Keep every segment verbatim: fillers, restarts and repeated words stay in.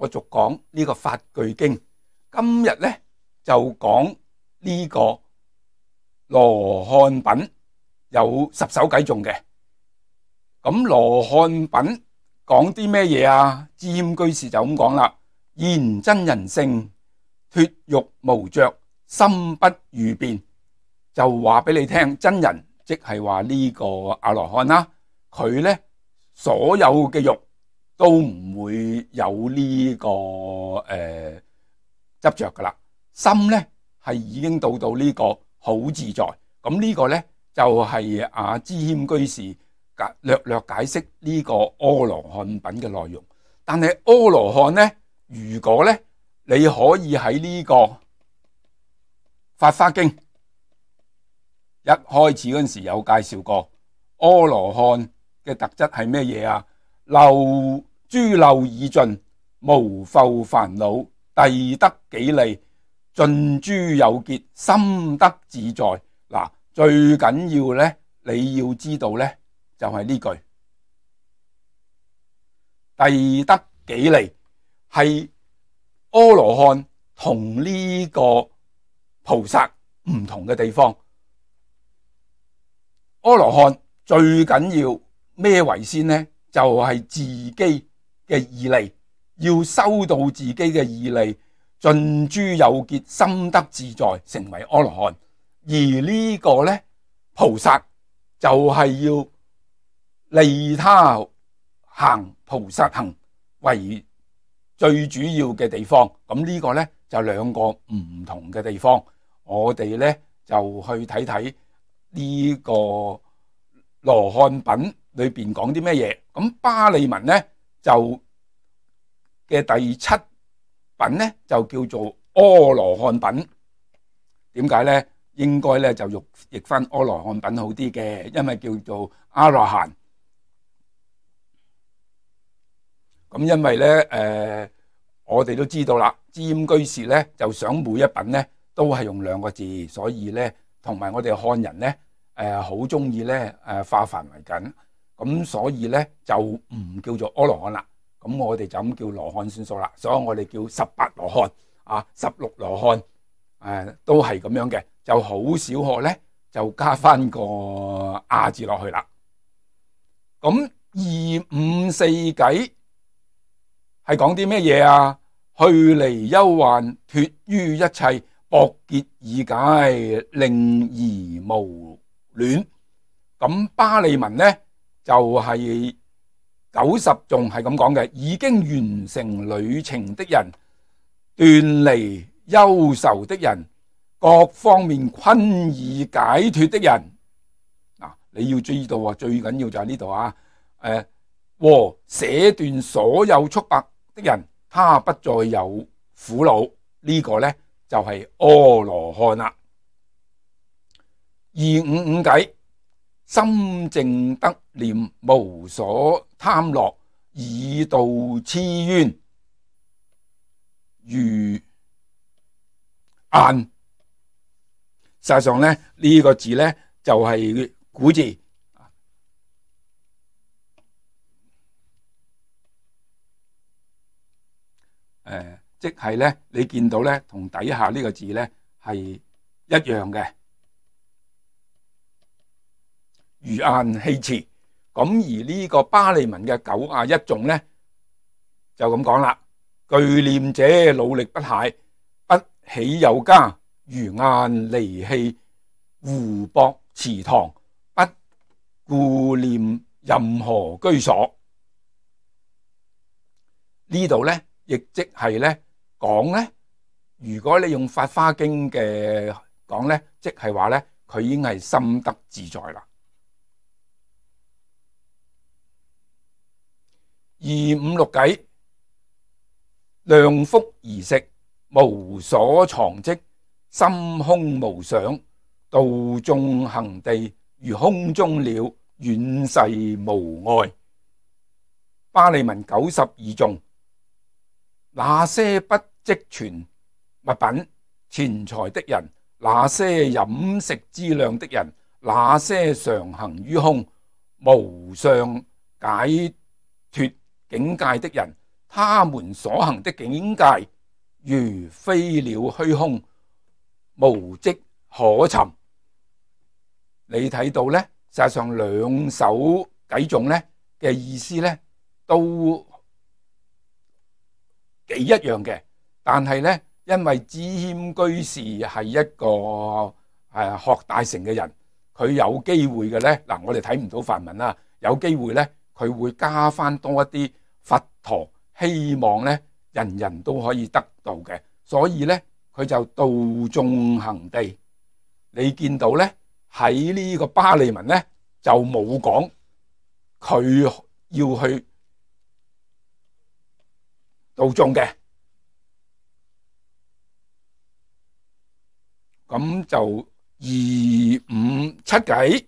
我續講呢個法句經。今日咧就講呢個羅漢品有十首偈頌嘅。咁羅漢品講啲咩嘢啊？知謙居士就咁講啦：現真人性，脫欲無着，心不逾辯。就話俾你聽，真人即係話呢個阿羅漢啦，佢咧所有嘅欲都唔會有呢、這個誒、呃、執着噶啦，心咧係已經到到呢個好自在。咁呢個咧就係阿知謙居士略略解釋呢個阿羅漢品嘅內容。但係阿羅漢咧，如果咧你可以喺呢個法華經一開始嗰陣時有介紹過，阿羅漢嘅特質係咩嘢啊？漏諸漏已盡，無復煩惱，逮得己利，盡諸有結，心得自在。嗱，最緊要咧，你要知道咧，就係呢句逮得己利，係阿羅漢同呢個菩薩唔同嘅地方。阿羅漢最緊要咩為先呢？就係、是、自己嘅義利，要修到自己嘅義利，盡諸有結，心得自在，成為阿羅漢。而呢個呢，菩薩就係要利他行菩薩行為最主要嘅地方。咁呢個呢，就兩個唔同嘅地方，我哋呢，就去睇睇呢個羅漢品裏邊講啲咩嘢。咁巴利文呢，就嘅第七品呢，就叫做阿羅漢品。點解呢？應該呢，就譯譯翻阿羅漢品好啲嘅，因為叫做阿羅漢。咁因為呢，誒、呃，我哋都知道啦，知謙居士呢，就想每一品呢都係用兩個字，所以呢，同埋我哋漢人呢，誒好中意咧誒化繁為簡，咁所以咧就唔叫做阿羅漢啦，咁我哋就咁叫羅漢算數啦。所以我哋叫十八羅漢啊，十六羅漢誒、啊、都係咁樣嘅，就好少學咧就加翻個亞字落去啦。咁二五四偈係講啲咩嘢啊？去離憂患，脫於一切，博結義解，令疑無戀。咁巴利文呢就係九十頌係咁講嘅：已經完成旅程的人，斷離憂愁的人，各方面困意解脫的人。嗱，你要知道啊，最緊要就係呢度啊，誒，和捨斷所有束縛的人，他不再有苦惱。呢、這個呢就係阿羅漢啦。二五五偈，心淨得念，無所貪樂，以度痴冤如硯。實際上咧，呢、這個字咧就係、是、古字，誒、呃，即係咧你見到咧同底下呢個字咧係一樣嘅。如硯棄持。咁而呢個巴利文嘅九啊一頌咧就咁講啦：具念者努力不懈，不喜有加，如硯離棄湖泊池塘，不顧念任何居所。呢度咧亦即係咧講咧，如果你用法華經嘅講咧，即係話咧佢已經係心得自在啦。二五六偈，量腹而食，無所藏積，心空無想，道縱行地，如空中鳥，遠逝無礙。巴利文九十二頌，那些不積存物品錢財的人，那些飲食資糧的人，那些常行於空無相解脫境界的人，他們所行的境界如飛鳥虛空，無跡可尋。你睇到呢，實際上兩首偈頌呢嘅意思呢都幾一樣嘅，但係呢，因為知謙居士係一個誒、啊、學大乘嘅人，佢有機會嘅呢，嗱，我哋睇唔到梵文啦，有機會呢，佢會加翻多一啲佛陀希望呢人人都可以得到嘅，所以呢，佢就度眾行地。你見到呢，喺呢個巴利文呢就冇講佢要去度眾嘅，咁就二五七偈，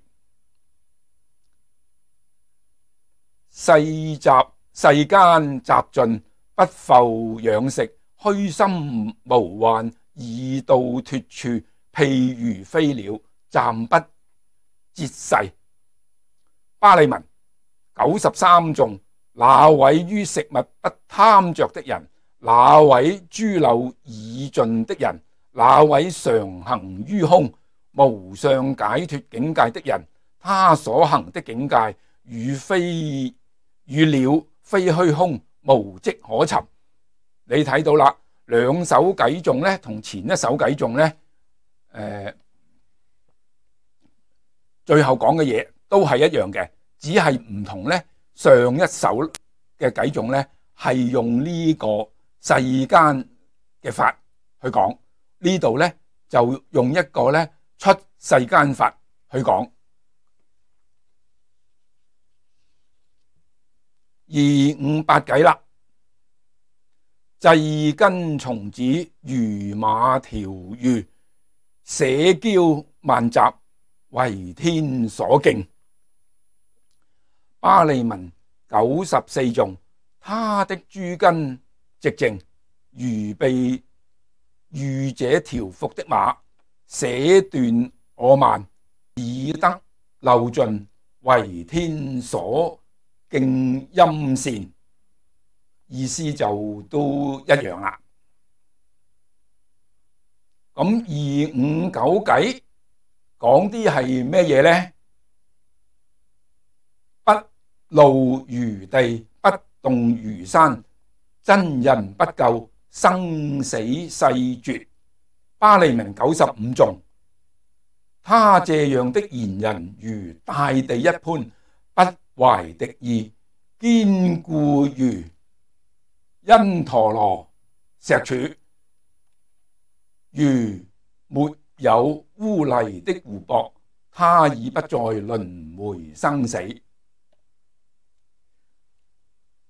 世集世間雜盡，不復養食，虛心無患，已到脫處，譬如飛鳥，暫不折世。巴利文九十三頌，那位於食物不貪着的人，那位諸漏已盡的人，那位常行於空無相解脫境界的人，他所行的境界與飛與鳥非虛空，無跡可尋。你睇到啦，兩首偈頌呢同前一首偈頌呢，誒、呃，最後講嘅嘢都係一樣嘅，只係唔同呢。上一首嘅偈頌呢係用呢個世間嘅法去講，呢度呢就用一個呢出世間法去講。二五八偈啦，際根蟲子如馬條魚，社交萬雜為天所敬。巴利文九十四頌，他的諸根寂靜，如被御者調伏的馬，捨斷我慢，已得漏盡，為天所敬陰善。意思就都一樣啦。咁二五九偈講啲係咩嘢呢？不露如地，不動如山，真人不救，生死世絕。巴利文九十五頌，他這樣的賢人如大地一般，不懷敵意，堅固如因陀羅石柱，如沒有污泥的湖泊，他已不再輪迴生死。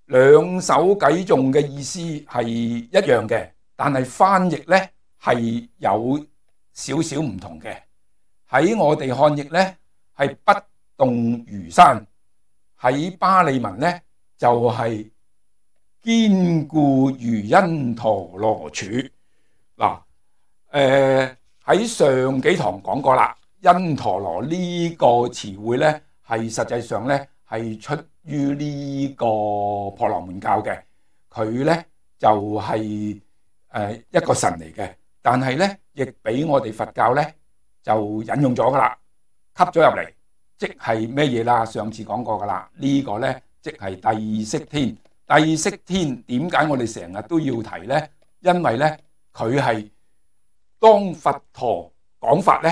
兩首偈頌嘅意思係一樣嘅，但係翻譯呢係有少少唔同嘅。喺我哋漢譯呢係不動如山，喺巴利文呢就係堅固如因陀羅柱。嗱，誒喺上幾堂講過啦，因陀羅呢個詞彙呢係實際上呢係出於呢個婆羅門教嘅，佢呢就係誒一個神嚟嘅，但係呢亦俾我哋佛教呢就引用咗噶啦，吸咗入嚟，即係咩嘢啦？上次講過噶啦，呢個呢即係帝釋天。帝釋天點解我哋成日都要提呢？因為呢佢係當佛陀講法呢，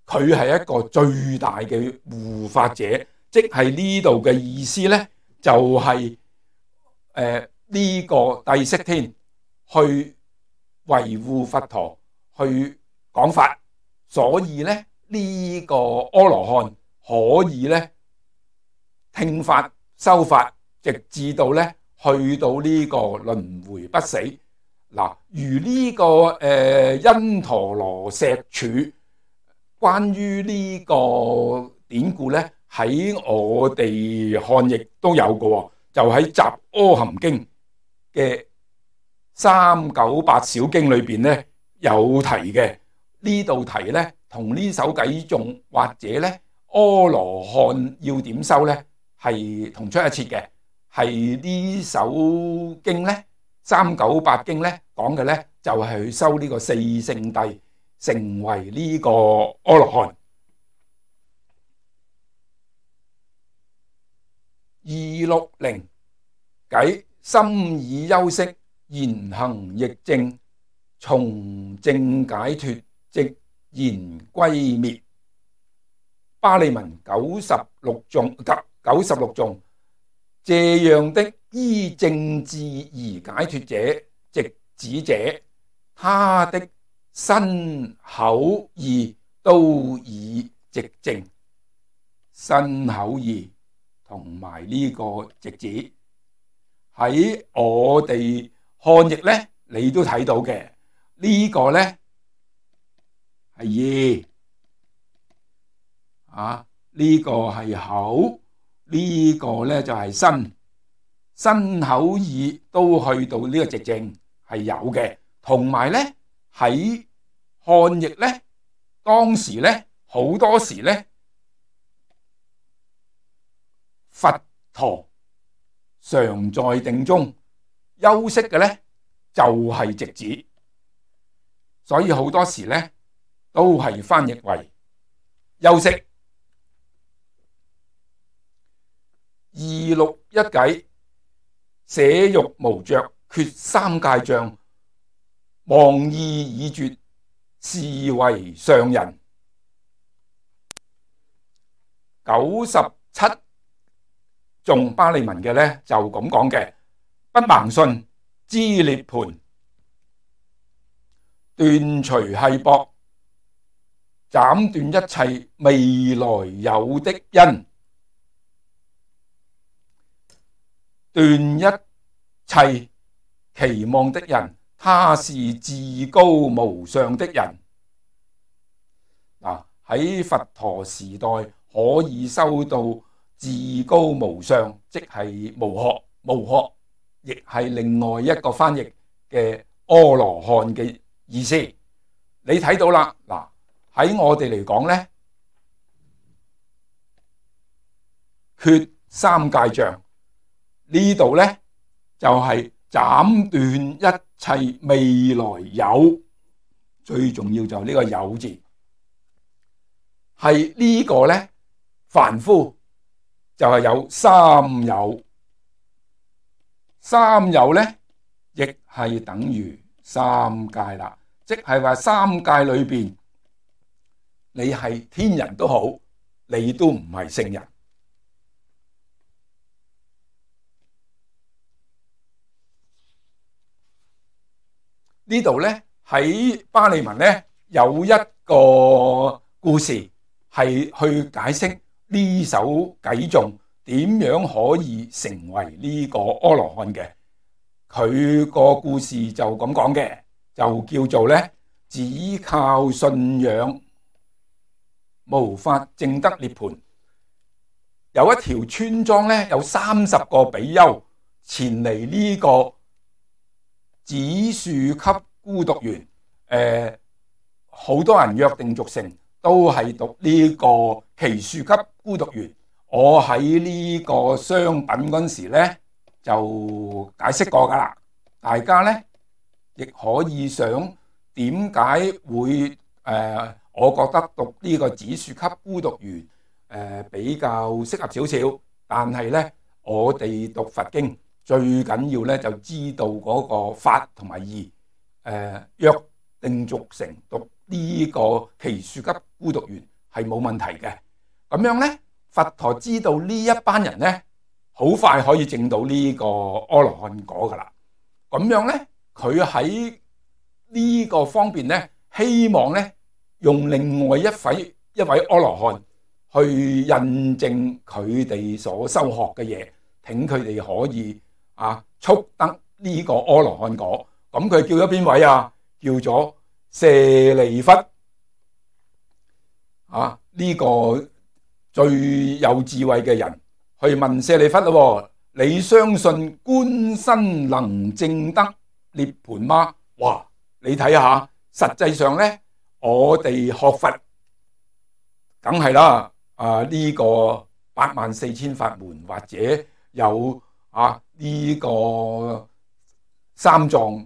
佢係一個最大嘅護法者。即係呢度嘅意思呢，就係誒呢個帝釋天去維護佛陀，去講法，所以呢，呢、這個阿羅漢可以呢聽法修法，直至到呢去到呢個輪迴不死。嗱，如呢、這個誒、呃、因陀羅石柱，關於呢個典故呢，喺我哋漢譯都有嘅，就喺《雜阿含經》嘅三九八小經裏邊咧有提嘅。呢度提咧同呢首偈頌或者咧阿羅漢要點修咧係同出一轍嘅。係呢首經咧三九八經咧講嘅咧就係去修呢個四聖諦，成為呢個阿羅漢。二六零偈心已休息，言行亦正，從正解脫，直言歸滅。巴利文九十六頌，九十六頌，這樣的依正智而解脫者，直指者，他的身口意都已直正。身口意同埋呢個直指喺我哋漢譯咧，你都睇到嘅。呢個咧係意啊，呢個係口，呢個咧就係身，身口意都去到呢個直正係有嘅。同埋咧喺漢譯咧，當時咧好多時咧，佛陀常在定中休息嘅咧就係直指，所以好多時咧都係翻譯為休息。二六一偈，捨欲無着，決三界障，忘意已絕，是為上人。九十七頌巴利文嘅咧就咁講嘅，不盲信知涅槃，斷除繫縛，斬斷一切未來有的因，斷一切期望的人，他是至高無上的人。嗱，喺佛陀時代可以修到至高無上，即係無學，無學亦係另外一個翻譯嘅阿羅漢嘅意思。你睇到啦，嗱，喺我哋嚟講咧，決三界障呢度咧就係斬斷一切未來有，最重要就係呢個有字，係呢個咧凡夫就係有三有，三有咧亦係等於三界啦，即係話三界裏邊你係天人都好，你都唔係聖人。呢度咧喺巴利文咧有一個故事係去解釋呢首偈頌點樣可以成為呢個阿羅漢嘅。佢個故事就咁講嘅，就叫做咧只靠信仰無法證得涅槃。有一條村莊咧，有三十個比丘前嚟呢個紫樹級孤獨園，誒、呃，好多人約定俗成，都係讀呢個奇樹級孤獨園。我喺呢個商品嗰陣時咧就解釋過噶啦，大家咧亦可以想點解會誒、呃，我覺得讀呢個紫樹級孤獨園誒、呃、比較適合少少，但係咧我哋讀佛經最緊要咧就知道嗰個法同埋義，誒約定俗成讀呢個奇樹級孤獨園係冇問題嘅。咁樣咧，佛陀知道呢一班人咧好快可以證到呢個阿羅漢果噶啦。咁樣咧，佢喺呢個方面咧，希望咧用另外一位一位阿羅漢去印證佢哋所修學嘅嘢，請佢哋可以啊，速得呢個阿羅漢果。咁佢叫咗邊位啊？叫咗舍利弗啊！呢、這個最有智慧嘅人去問舍利弗咯，你相信觀身能證得涅槃嗎？哇！你睇下，實際上咧，我哋學佛梗係啦，啊呢、這個八萬四千法門或者有啊呢、這個三藏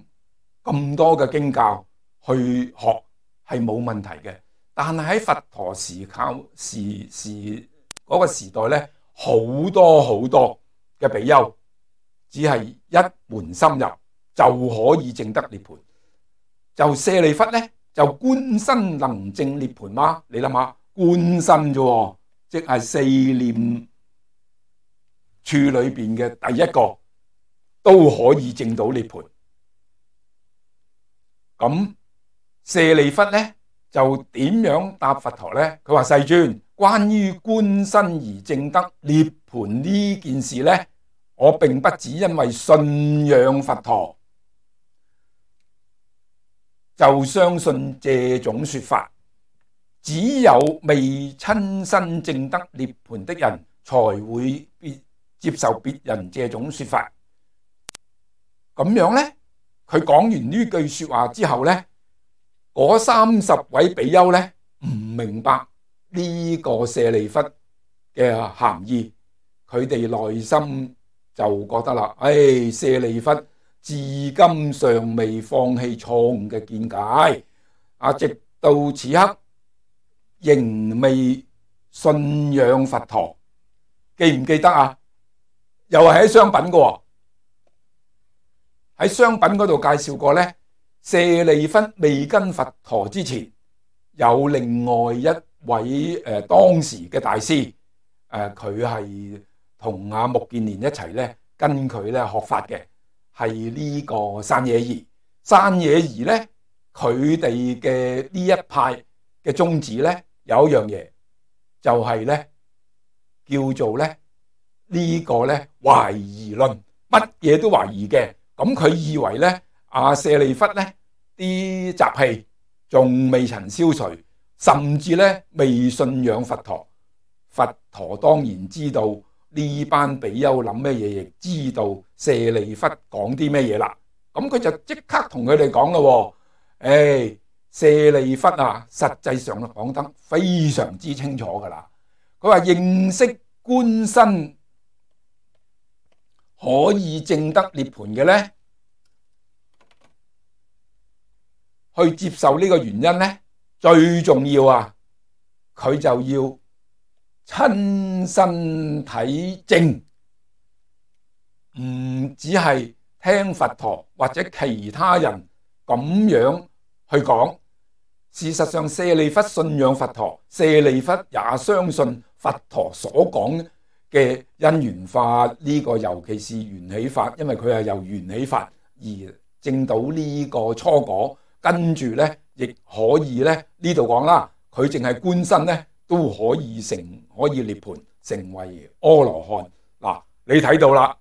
咁多嘅經教去學係冇問題嘅，但係喺佛陀時靠時時嗰個時代咧，好多好多嘅比丘只係一門深入就可以證得涅槃，就舍利弗咧就觀身能證涅槃嗎？你諗下，觀身啫，即係四念處裏邊嘅第一個都可以證到涅槃。咁舍利弗咧就點樣答佛陀咧？佢話：世尊，關於觀身而證得涅槃呢件事咧，我並不只因為信仰佛陀就相信這種說法，只有未親身證得涅槃的人才會接受別人這種說法。咁樣咧，佢講完呢句說話之後咧，嗰三十位比丘咧唔明白呢個舍利弗嘅含義，佢哋內心就覺得啦，唉，舍利弗至今尚未放棄錯誤嘅見解，啊，直到此刻仍未信仰佛陀，記唔記得啊？又係喺商品嘅，喺商品嗰度介紹過咧，舍利弗未跟佛陀之前，有另外一位誒、呃、當時嘅大師，誒佢係同阿目犍連一齊咧，跟佢咧學法嘅，係呢個山野儀。山野儀咧，佢哋嘅呢一派嘅宗旨咧，有一樣嘢就係咧，叫做咧呢個咧懷疑論，乜嘢都懷疑嘅。咁佢以為咧，阿舍利弗咧啲習氣仲未曾消除，甚至咧未信仰佛陀。佛陀當然知道呢班比丘諗咩嘢，亦知道舍利弗講啲咩嘢啦。咁佢就即刻同佢哋講咯，誒，舍利弗啊，實際上講得非常之清楚噶啦。佢話認識觀身可以證得涅槃嘅咧，去接受呢個原因咧，最重要啊，佢就要親身體證，唔只係聽佛陀或者其他人咁樣去講。事實上，舍利弗信仰佛陀，舍利弗也相信佛陀所講嘅因緣法，呢個尤其是緣起法，因為佢係由緣起法而證到呢個初果，跟住咧亦可以咧呢度講啦，佢淨係觀身咧都可以成可以涅槃，成為阿羅漢。嗱，你睇到啦，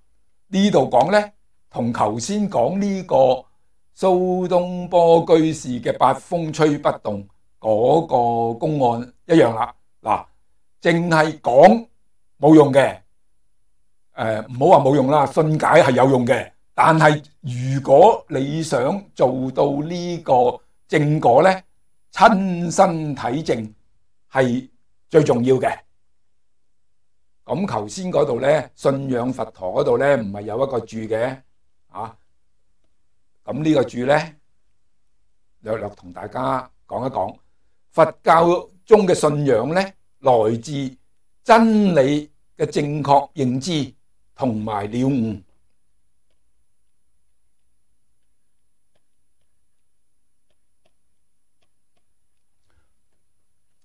呢度講咧同頭先講呢個蘇東坡居士嘅八風吹不動嗰個公案一樣啦。嗱，淨係講冇用嘅，誒唔好話冇用啦，信解係有用嘅。但係如果你想做到呢個正果咧，親身體證係最重要嘅。咁頭先嗰度咧，信仰佛陀嗰度咧，唔係有一個注嘅啊？咁呢個注咧，略略同大家講一講，佛教中嘅信仰咧，來自真理嘅正確認知同埋了悟。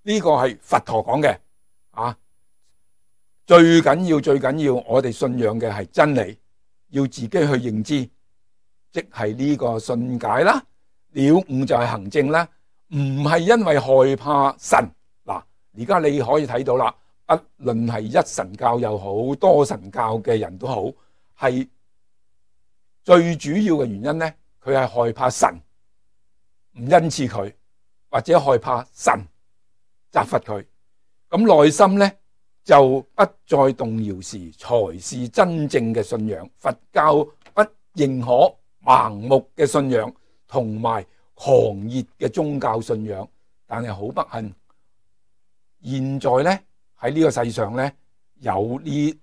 呢個係佛陀講嘅啊，最緊要最緊要，我哋信仰嘅係真理，要自己去認知，即係呢個信解啦，了悟就係行證啦，唔係因為害怕神。嗱，而家你可以睇到啦，不論係一神教又好，多神教嘅人都好，係最主要嘅原因咧，佢係害怕神唔恩賜佢，或者害怕神責罰佢，咁內心咧就不再動搖時，才是真正嘅信仰。佛教不認可盲目嘅信仰同埋狂熱嘅宗教信仰，但係好不幸，現在咧喺呢個世上咧有呢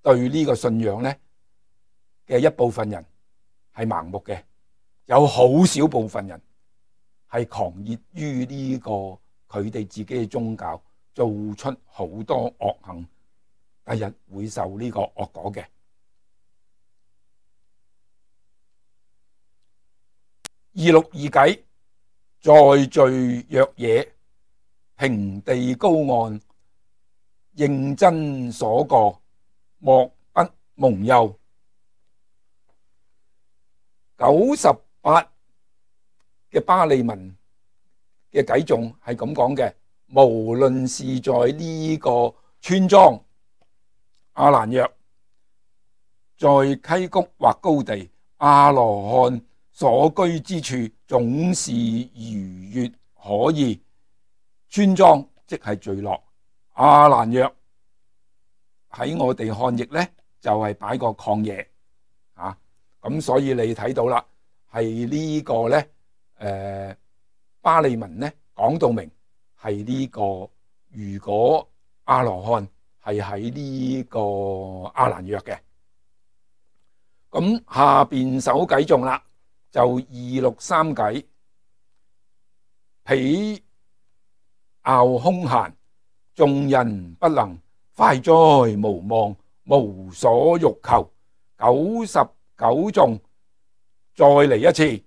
對呢個信仰咧嘅一部分人係係盲目嘅，有好少部分人係狂熱於呢個佢哋自己嘅宗教，做出好多惡行，第日會受呢個惡果嘅。二六二計，在罪若野，平地高岸，認真所過，莫不蒙佑。九十八嘅巴利文嘅偈頌係咁講嘅，無論是在呢個村莊阿蘭若，在溪谷或高地，阿羅漢所居之處總是愉悅可意。村莊即係聚落，阿蘭若喺我哋漢譯呢，就係、是、擺個曠野啊，咁所以你睇到啦，係呢個呢，誒、呃、巴利文呢講到明係呢、這個，如果阿羅漢係喺呢個阿蘭若嘅，咁下邊首偈頌啦。就二六三計，彼樂空閒，眾人不能，快哉無望，無所欲求。九十九頌再嚟一次，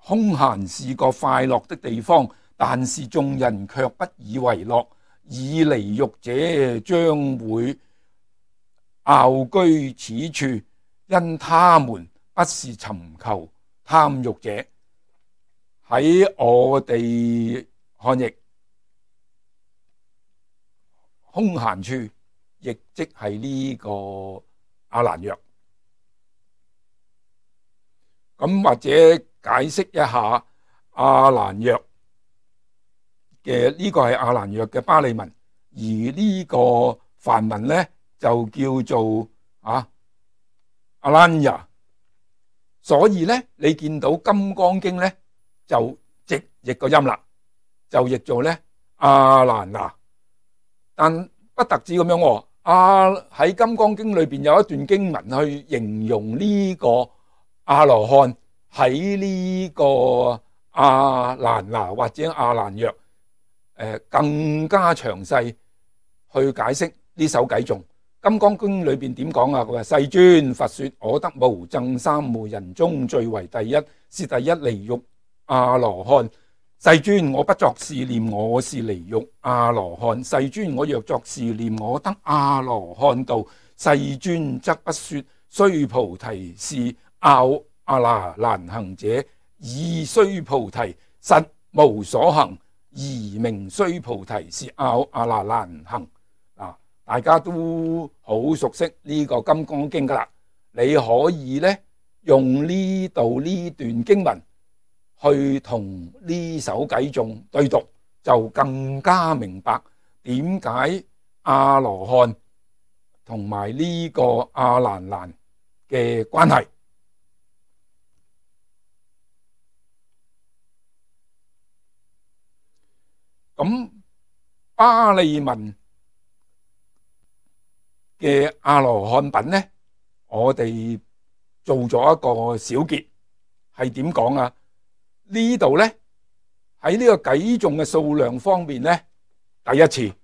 空閒是個快樂的地方，但是眾人卻不以為樂，以離欲者將會樂居此處，因他們不是尋求貪欲者。喺我哋漢譯，空閒處亦即係呢個阿蘭若。咁或者解釋一下阿蘭若嘅呢、這個係阿蘭若嘅巴利文，而呢個梵文呢，就叫做啊阿蘭雅。所以咧，你見到《金剛經》咧就直譯個音啦，就譯做咧阿蘭那。但不特止咁樣，阿喺《金剛經》裏邊有一段經文去形容呢個阿羅漢喺呢個阿蘭那或者阿蘭若，誒更加詳細去解釋呢首偈頌。金剛經裏邊點講啊？佢話世尊佛說，我得無諍三昧人中最為第一，是第一離欲阿羅漢。世尊，我不作是念，我是離欲阿羅漢。世尊，我若作是念，我得阿羅漢道。世尊則不說，須菩提是樂阿那難行者，以須菩提實無所行，而名須菩提是樂阿那難行。大家都好熟悉呢個金剛經噶啦，你可以咧用呢度呢段經文去同呢首偈頌對讀，就更加明白點解阿羅漢同埋呢個阿蘭那嘅關係。咁巴利文嘅阿羅漢品呢，我哋做咗一個小結，係點講啊？呢度呢，喺呢個偈頌嘅數量方面呢，第一次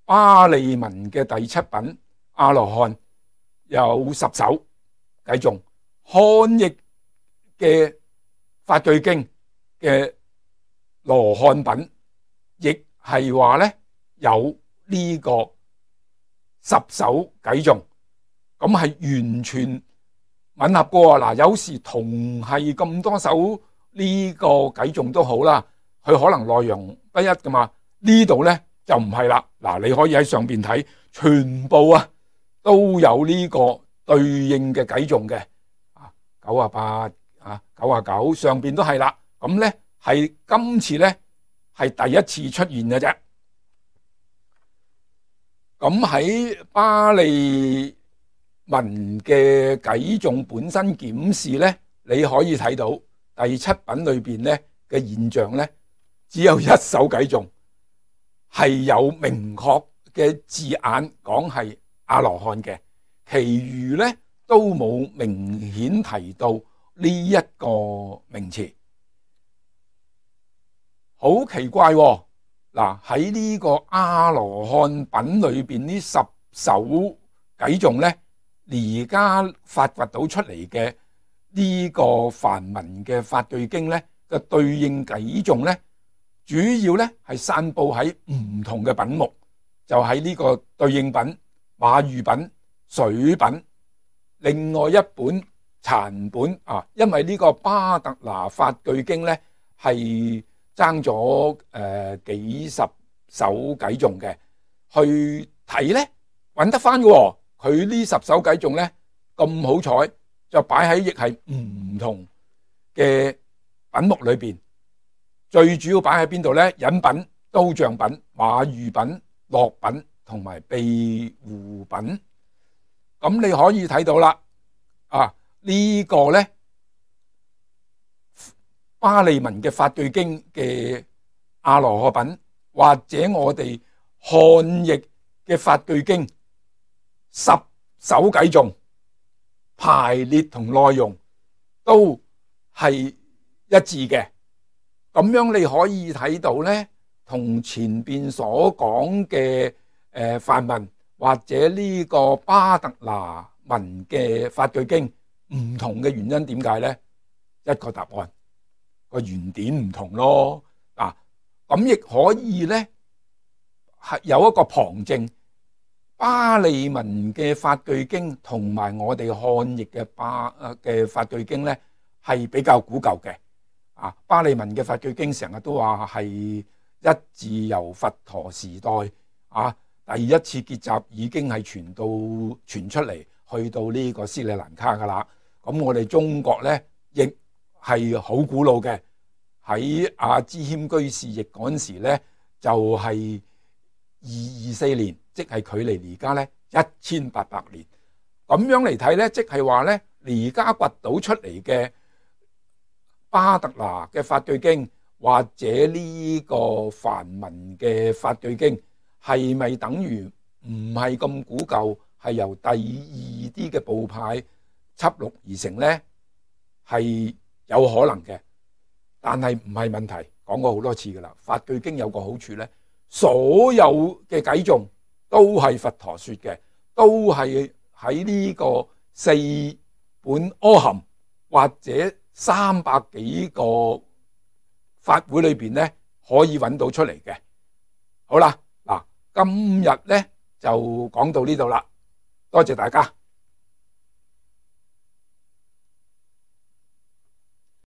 巴利文嘅第七品阿羅漢有十首偈頌，漢譯嘅法句經嘅羅漢品亦係話呢有呢個十首偈頌，咁係完全吻合過啊！嗱，有時同係咁多首呢個偈頌都好啦，佢可能內容不一噶嘛。呢度咧就唔係啦。嗱，你可以喺上邊睇，全部啊都有呢個對應嘅偈頌嘅啊，九啊八啊，九啊九上邊都係啦。咁咧係今次咧係第一次出現嘅啫。咁喺巴利文嘅偈頌本身檢視咧，你可以睇到第七品裏邊咧嘅現象咧，只有一首偈頌係有明確嘅字眼講係阿羅漢嘅，其餘咧都冇明顯提到呢一個名詞，好奇怪喎。嗱，喺呢個阿羅漢品裏邊呢十首偈頌咧，而家發掘到出嚟嘅呢個梵文嘅法句經咧嘅對應偈頌咧，主要咧係散佈喺唔同嘅品目，就喺呢個對應品、馬喻品、水品，另外一本殘本啊，因為呢個巴特拿法句經咧係爭咗誒幾十首偈頌嘅，去睇咧揾得翻嘅。佢呢十首偈頌咧咁好彩，就擺喺亦係唔同嘅品目裏邊。最主要擺喺邊度咧？引品、刀杖品、馬喻品、樂品同埋庇護品。咁你可以睇到啦，啊呢個咧巴利文嘅法句經嘅阿羅漢品，或者我哋漢譯嘅法句經，十首偈頌排列同內容都係一致嘅。咁樣你可以睇到咧，同前邊所講嘅誒梵文或者呢個巴特拿文嘅法句經唔同嘅原因點解咧？一個答案，個原點唔同咯。嗱，咁亦可以咧係有一個旁證，巴利文嘅法句經同埋我哋漢譯嘅巴嘅法句經咧係比較古舊嘅。啊，巴利文嘅法句經成日都話係一自由佛陀時代啊，第一次結集已經係傳到傳出嚟，去到呢個斯里蘭卡噶啦。咁我哋中國咧亦係好古老嘅，喺阿支謙居士譯嗰陣時咧就係二二四年，即係距離而家咧一千八百年。咁樣嚟睇咧，即係話咧而家掘到出嚟嘅巴特拿嘅法句經或者呢個梵文嘅法句經，係咪等於唔係咁古舊，係由第二啲嘅部派輯錄而成呢？係有可能嘅，但係唔係問題。講過好多次噶啦，法句經有個好處呢，所有嘅偈頌都係佛陀說嘅，都係喺呢個四本阿含或者三百幾個法會裏邊咧，可以揾到出嚟嘅。好啦，嗱，今日咧就講到呢度啦，多謝大家。